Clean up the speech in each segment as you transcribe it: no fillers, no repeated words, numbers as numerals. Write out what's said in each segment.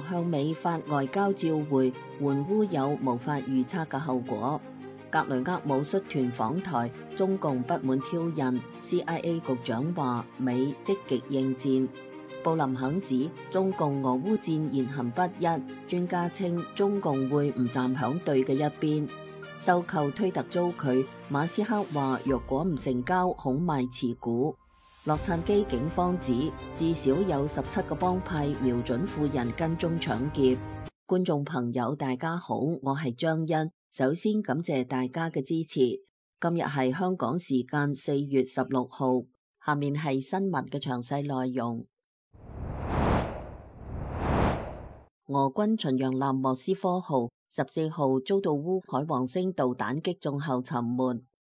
向美發外交照會，援烏有無法預測嘅後果。格雷厄姆率團訪台，中共不滿挑釁 ，CIA 局長話美積極應戰。布林肯指中共俄烏戰言行不一，專家稱中共會唔站響對嘅一邊。收購推特遭拒，馬斯克話若果唔成交，恐賣持股。洛杉磯警方指至少有17個幫派瞄準婦人跟蹤搶劫。觀眾朋友大家好，我係張欣。首先感謝大家嘅支持。今日係香港時間4月16號，下面係新聞嘅詳細內容。俄軍巡洋艦莫斯科號14號遭到烏海王星導彈擊中後沉沒，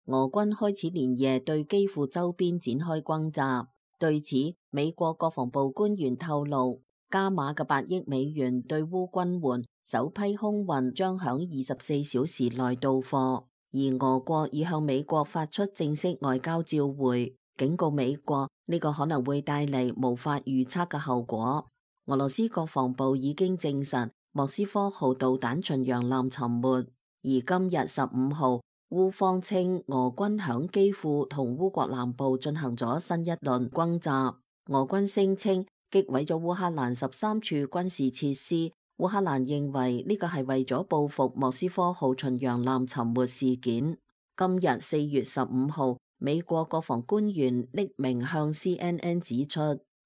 俄軍開始連夜對基輔周邊展開轟炸。對此，美國國防部官員透露，加碼嘅8億美元對烏軍援首批空運將響24小時內到貨，而俄國已向美國發出正式外交照會，警告美國呢個可能會帶嚟無法預測嘅後果。俄羅斯國防部已經證實莫斯科號導彈巡洋艦沉沒，而今日15號，烏方稱俄軍響基輔同烏國南部進行咗新一輪轟炸，俄軍聲稱擊毀咗烏克蘭13處軍事設施。烏克蘭認為呢個係為咗報復莫斯科號巡洋艦沉沒事件。今日4月15號，美國國防官員匿名向 CNN 指出，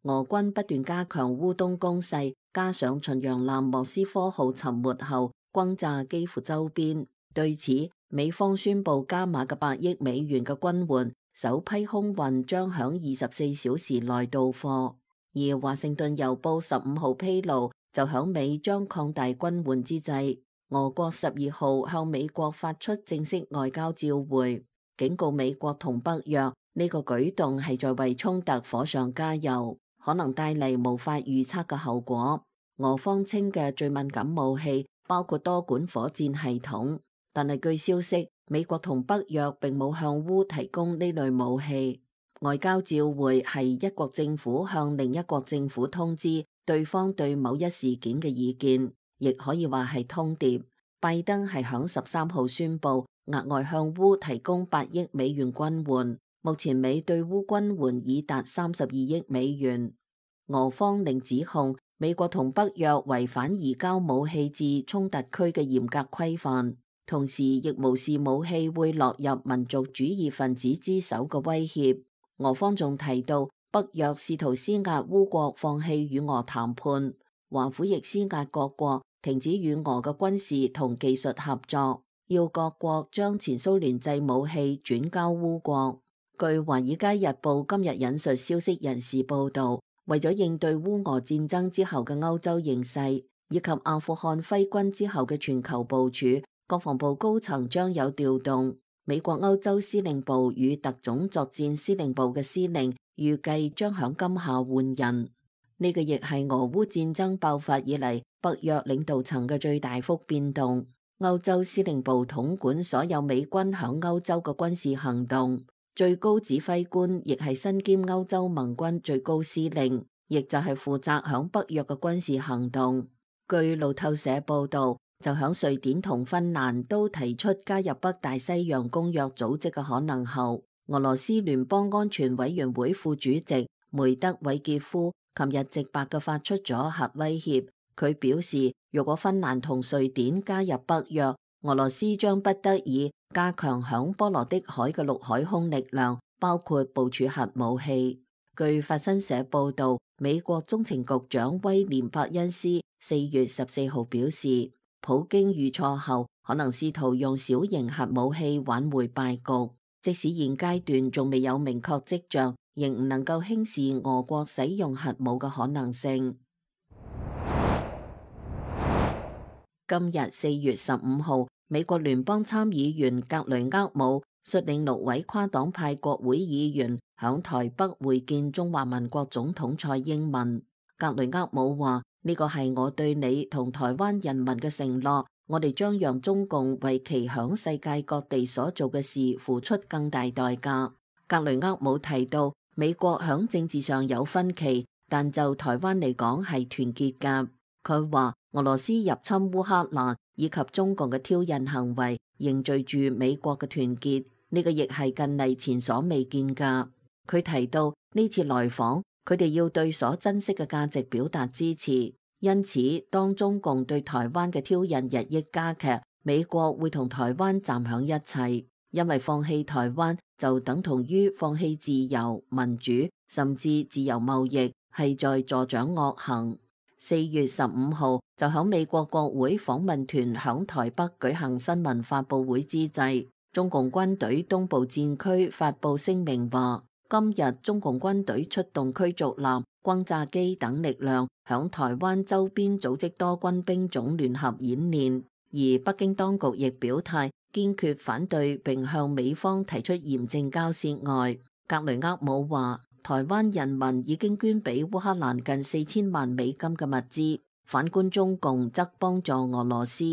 俄軍不斷加強烏東攻勢，加上巡洋艦莫斯科號沉沒後轟炸基輔周邊。對此，美方宣布加碼嘅8億美元嘅軍援，首批空運將響24小時內到貨。而華盛頓郵報15號披露，就響美將擴大軍援之際，俄國12號向美國發出正式外交照會，警告美國同北約呢個舉動係在為衝突火上加油，可能帶嚟無法預測嘅後果。俄方稱嘅最敏感武器包括多管火箭系統，但係據消息，美國同北約並冇向烏提供呢類武器。外交照會係一國政府向另一國政府通知對方對某一事件嘅意見，亦可以話係通牒。拜登係響13號宣布額外向烏提供8億美元軍援，目前美對烏軍援已達32億美元。俄方另指控美國同北約違反移交武器至衝突區嘅嚴格規範，同時亦無視武器會落入民族主義分子之手嘅威脅。俄方仲提到，北約試圖施壓烏國放棄與俄談判，華府亦施壓各國停止與俄嘅軍事同技術合作，要各國將前蘇聯製武器轉交烏國。據《華爾街日報》今日引述消息人士報道，為咗應對烏俄戰爭之後嘅歐洲形勢，以及阿富汗揮軍之後嘅全球部署，國防部高層將有調動。美國歐洲司令部與特種作戰司令部嘅司令預計將響今夏換人，呢個亦係俄烏戰爭爆發以嚟北約領導層嘅最大幅變動。歐洲司令部統管所有美軍響歐洲嘅軍事行動，最高指揮官亦係身兼歐洲盟軍最高司令，亦就係負責響北約嘅軍事行動。據路透社報道，就響瑞典同芬蘭都提出加入北大西洋公約組織嘅可能後，俄羅斯聯邦安全委員會副主席梅德韋傑夫琴日直白嘅發出咗核威脅。佢表示，如果芬蘭同瑞典加入北約，俄羅斯將不得已加強響波羅的海嘅陸海空力量，包括部署核武器。據法新社報道，美國中情局長威廉伯恩斯4月14號表示，普京遇挫後可能試圖用小型核武器挽回敗局，即使現階段仲未有明確跡象，仍唔能夠輕視俄國使用核武嘅可能性。今日4月15號，美國聯邦參議員格雷厄姆率領6位跨黨派國會議員響台北會見中華民國總統蔡英文。格雷厄姆話：呢個係我對你同台灣人民嘅承諾，我哋將讓中共為其響世界各地所做嘅事付出更大代價。格雷厄姆提到，美國響政治上有分歧，但就台灣嚟講係團結㗎。佢話俄羅斯入侵烏克蘭以及中共嘅挑釁行為凝聚住美國嘅團結，呢個亦係近嚟前所未見㗎。佢提到呢次來訪，佢哋要對所珍惜嘅價值表達支持，因此當中共對台灣嘅挑釁日益加劇，美國會同台灣站響一齊，因為放棄台灣就等同於放棄自由、民主，甚至自由貿易，係在助長惡行。4月15號就響美國國會訪問團響台北舉行新聞發佈會之際，中共軍隊東部戰區發佈聲明話，今日中共軍隊出動驅逐艦、轟炸機等力量響台灣周邊組織多軍兵種聯合演練，而北京當局亦表態堅決反對並向美方提出嚴正交涉外，格雷厄姆話台灣人民已經捐俾烏克蘭近4000萬美金嘅物資，反觀中共則幫助俄羅斯。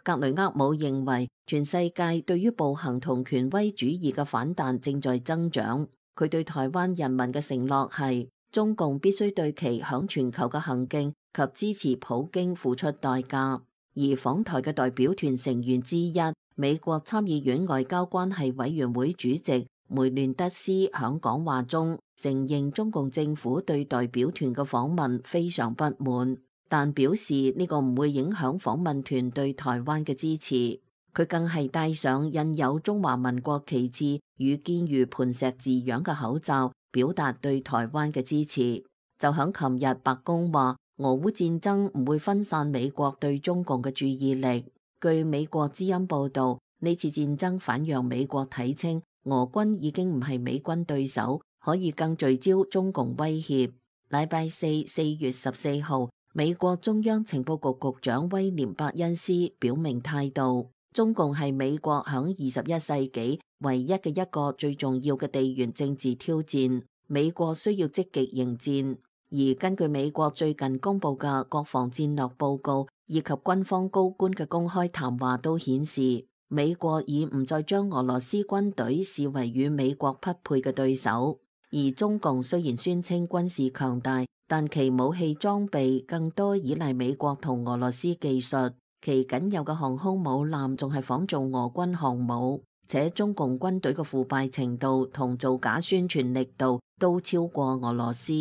格雷厄姆認為全世界對於暴行同權威主義嘅反彈正在增長，佢對台灣人民嘅承諾係中共必須對其響全球嘅行徑及支持普京付出代價。而訪台嘅代表團成員之一，美國參議院外交關係委員會主席梅亂德斯響講話中承認中共政府對代表團嘅訪問非常不滿，但表示呢個唔會影響訪問團對台灣嘅支持。佢更係戴上印有中華民國旗幟與堅如磐石字樣嘅口罩，表達對台灣嘅支持。就響琴日，白宮話俄烏戰爭唔會分散美國對中共嘅注意力。據美國之音報道，呢次戰爭反讓美國睇清俄軍已經唔係美軍對手，可以更聚焦中共威脅。禮拜四4月14號，美國中央情報局局長威廉伯恩斯表明態度，中共係美國響21世紀唯一嘅一個最重要嘅地緣政治挑戰，美國需要積極迎戰。而根據美國最近公布嘅國防戰略報告以及軍方高官嘅公開談話都顯示，美國已唔再將俄羅斯軍隊視為與美國匹配嘅對手。而中共雖然宣稱軍事強大，但其武器裝備更多依賴美國同俄羅斯技術，其僅有嘅航空母艦仲係仿造俄軍航母，且中共軍隊嘅腐敗程度同造假宣傳力度都超過俄羅斯。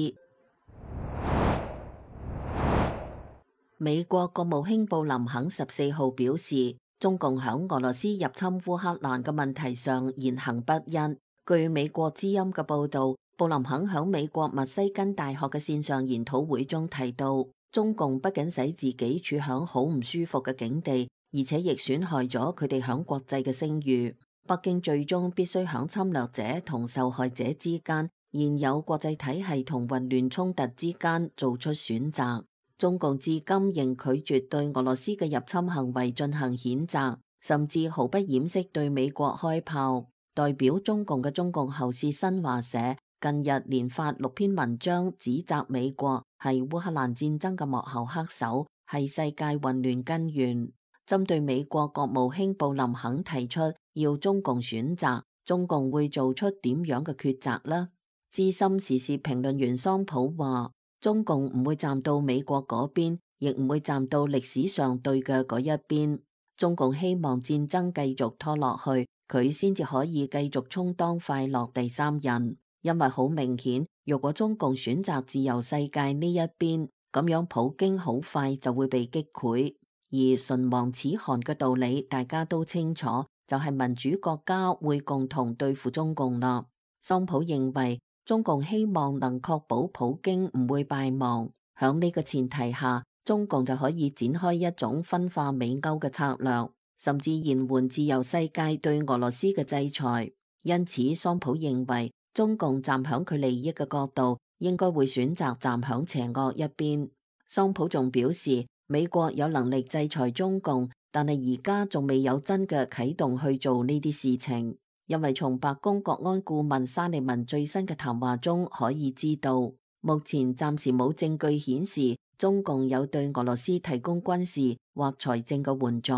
美國國務卿布林肯14號表示，中共響俄羅斯入侵烏克蘭嘅問題上言行不一。據美國之音嘅報道，布林肯響美國密西根大學嘅線上研討會中提到，中共不僅使自己處響好唔舒服嘅境地，而且亦損害咗佢哋響國際嘅聲譽。北京最終必須響侵略者同受害者之間，現有國際體系同混亂衝突之間做出選擇。中共至今仍拒絕對俄羅斯嘅入侵行為進行譴責，甚至毫不掩飾對美國開炮。代表中共嘅中共喉舌新華社近日連發6篇文章，指責美國係烏克蘭戰爭嘅幕後黑手，係世界混亂根源。針對美國國務卿布林肯提出要中共選擇，中共會做出點樣嘅抉擇呢？資深時事評論員桑普話，中共唔會站到美國嗰邊，亦唔會站到歷史上對嘅嗰一邊。中共希望戰爭繼續拖落去，佢先至可以繼續充當快樂第三人。因為好明顯，如果中共選擇自由世界呢一邊，咁樣普京好快就會被擊潰。而唇亡齒寒嘅道理大家都清楚，就係民主國家會共同對付中共啦。桑普認為，中共希望能確保普京唔會敗亡，響呢個前提下，中共就可以展開一種分化美歐嘅策略，甚至延緩自由世界對俄羅斯嘅制裁。因此，桑普認為中共站響佢利益嘅角度，應該會選擇站響邪惡一邊。桑普仲表示，美國有能力制裁中共，但係而家仲未有真嘅啟動去做呢啲事情。因為從白宮國安顧問沙利文最新嘅談話中可以知道，目前暫時冇證據顯示中共有對俄羅斯提供軍事或財政嘅援助。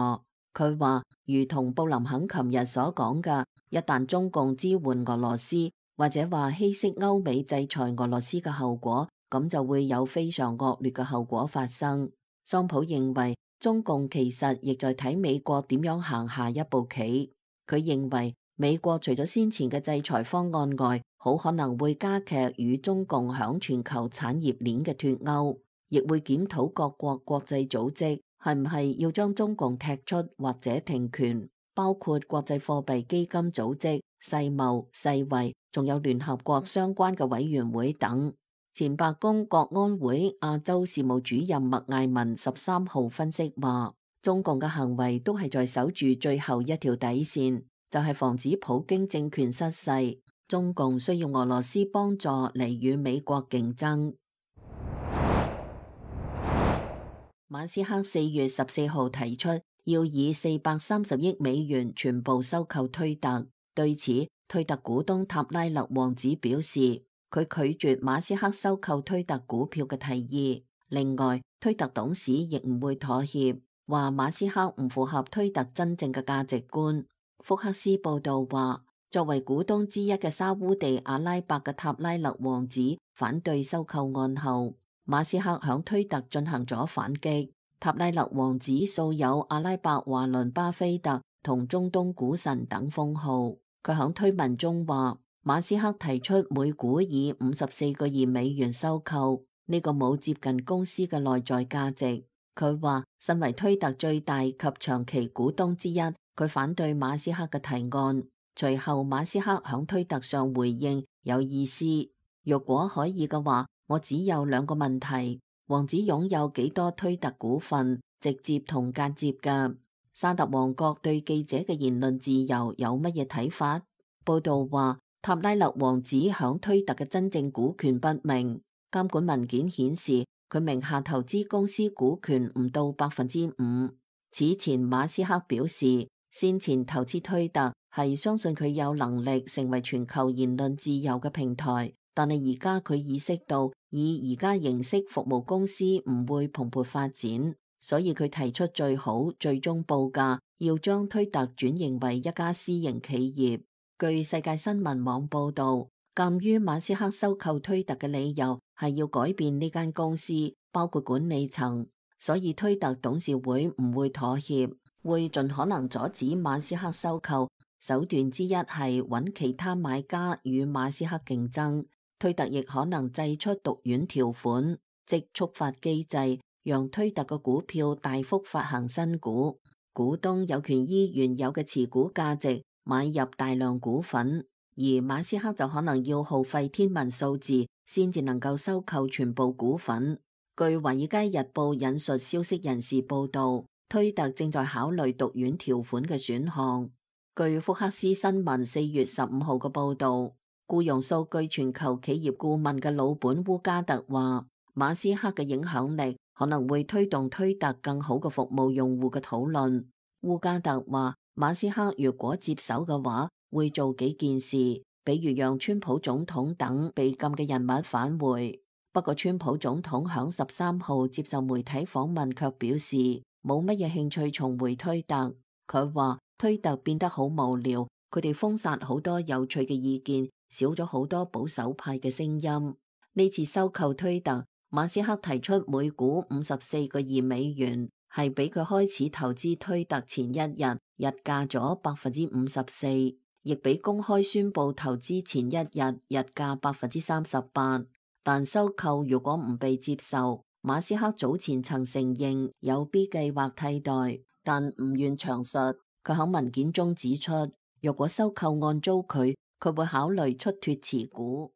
佢話，如同布林肯琴日所講嘅，一旦中共支援俄羅斯，或者話稀釋歐美制裁俄羅斯嘅後果，咁就會有非常惡劣嘅後果發生。桑普認為中共其實亦在睇美國點樣行下一步棋。佢認為美國除咗先前嘅制裁方案外，好可能會加劇與中共響全球產業鏈嘅脫鈎，亦會檢討各國國際組織係唔係要將中共踢出或者停權，包括國際貨幣基金組織、世貿、世衛，仲有聯合國相關嘅委員會等。前白宮國安會亞洲事務主任麥艾文13號分析話，中共嘅行為都係在守住最後一條底線，就係防止普京政權失勢。中共需要俄羅斯幫助嚟與美國競爭。馬斯克4月14號提出要以430億美元全部收購推特，對此推特股東塔拉勒王子表示，佢拒絕馬斯克收購推特股票嘅提議。另外，推特董事亦唔會妥協，話馬斯克唔符合推特真正嘅價值觀。福克斯報道話，作為股東之一嘅沙烏地阿拉伯嘅塔拉勒王子反對收購案後，馬斯克響推特進行咗反擊。塔拉勒王子素有阿拉伯華倫巴菲特同中東股神等封號。佢響推文中話，馬斯克提出每股以54個億美元收購，呢個冇接近公司嘅內在價值。佢話，身為推特最大及長期股東之一，佢反對馬斯克嘅提案。隨後馬斯克響推特上回應，有意思，若果可以嘅話，我只有2個問題：王子擁有幾多推特股份，直接同間接嘅？沙特王國對記者嘅言論自由有乜嘢睇法？報道話，塔拉勒王子響推特嘅真正股權不明，監管文件顯示佢名下投資公司股權唔到5%。此前馬斯克表示，先前投資推特係相信佢有能力成為全球言論自由嘅平台，但係而家佢意識到以而家形式服務公司唔會蓬勃發展，所以佢提出最好最終報價要將推特轉型為一家私營企業。據世界新聞網報道，鑒於馬斯克收購推特嘅理由係要改變呢間公司，包括管理層，所以推特董事會唔會妥協，會盡可能阻止馬斯克收購。手段之一係揾其他買家與馬斯克競爭。推特亦可能祭出毒丸條款，即觸發機制，讓推特嘅股票大幅發行新股，股東有權依原有嘅持股價值買入大量股份，而馬斯克就可能要耗費天文數字先至能夠收購全部股份。據華爾街日報引述消息人士報道，推特正在考慮毒丸條款嘅選項。據福克斯新聞4月15號嘅報道，僱傭數據全球企業顧問嘅老本烏加特話，馬斯克嘅影響力可能會推動推特更好嘅服務用戶嘅討論。烏加特話，馬斯克如果接手嘅話，會做幾件事，比如讓川普總統等被禁嘅人物返回。不過川普總統響13號接受媒體訪問卻表示冇乜嘢興趣重回推特。佢話推特變得好無聊，佢哋封殺好多有趣嘅意見，少咗好多保守派嘅聲音。呢次收購推特，馬斯克提出每股54個億美元，係比佢開始投資推特前一日日價咗54%，亦比公開宣布投資前一日日價38%。但收購如果唔被接受，馬斯克早前曾承認有 B 計劃替代，但唔願詳述。佢喺文件中指出，若果收購案遭拒，佢會考慮出脫持股。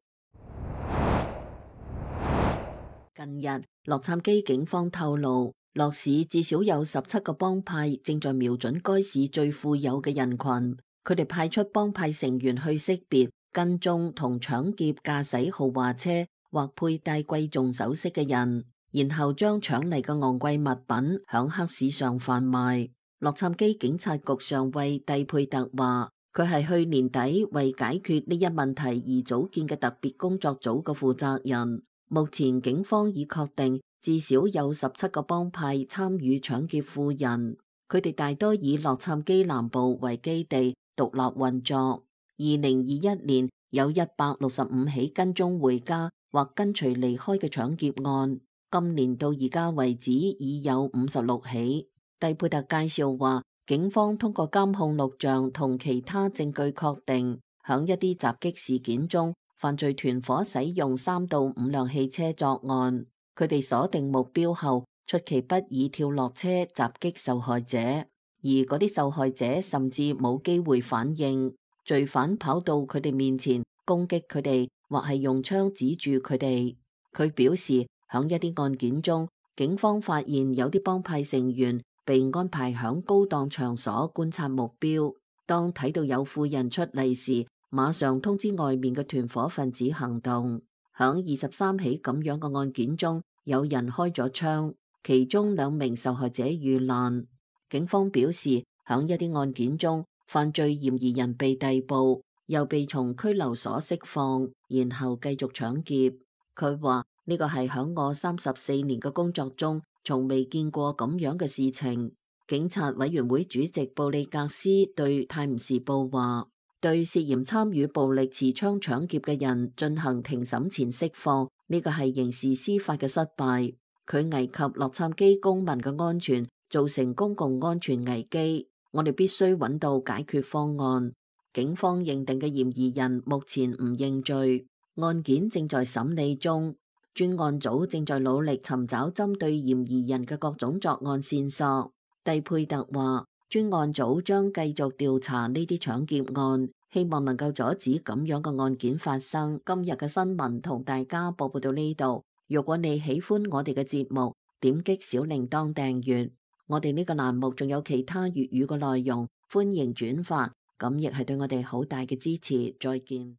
近日，洛杉磯警方透露，洛市至少有17個幫派正在瞄準該市最富有嘅人群，佢哋派出幫派成員去識別、跟蹤同搶劫駕駛豪華車或佩戴貴重首飾嘅人，然後將搶嚟嘅昂貴物品響黑市上販賣。洛杉磯警察局上尉蒂佩特話，佢係去年底為解決呢一問題而組建嘅特別工作組嘅負責人。目前警方已確定至少有17個幫派參與搶劫富人，佢哋大多以洛杉磯南部為基地，獨立運作。2021年有165起跟蹤回家或跟隨離開嘅搶劫案，今年到而家為止已有56起。蒂佩特介紹話，警方通過監控錄像同其他證據確定，響一啲襲擊事件中，犯罪團伙使用3到5輛汽車作案。佢哋鎖定目標後，出其不意跳落車襲擊受害者，而嗰啲受害者甚至冇機會反應。罪犯跑到佢哋面前攻擊佢哋，或係用槍指住佢哋。佢表示，響一啲案件中，警方發現有啲幫派成員被安排響高檔場所觀察目標，當睇到有婦人出嚟時，馬上通知外面嘅團伙分子行動。響23起咁樣嘅案件中，有人開咗槍，其中2名受害者遇難。警方表示，響一啲案件中，犯罪嫌疑人被逮捕，又被從拘留所釋放，然後繼續搶劫。佢話呢個係響我34年嘅工作中，從未見過咁樣嘅事情。警察委員會主席布利格斯對泰晤士報話，對涉嫌參與暴力持槍搶劫嘅人進行庭審前釋放，呢個係刑事司法嘅失敗。佢危及洛杉磯公民嘅安全，造成公共安全危機。我哋必須揾到解決方案。警方認定嘅嫌疑人目前唔認罪，案件正在審理中。專案組正在努力尋找針對嫌疑人嘅各種作案線索。蒂佩特話，專案組將繼續調查呢啲搶劫案，希望能夠阻止咁樣嘅案件發生。今日嘅新聞同大家播報到呢度。如果你喜歡我哋嘅節目，點擊小鈴鐺訂閱。我哋呢個欄目仲有其他粵語嘅內容，歡迎轉發，咁亦係對我哋好大嘅支持。再見。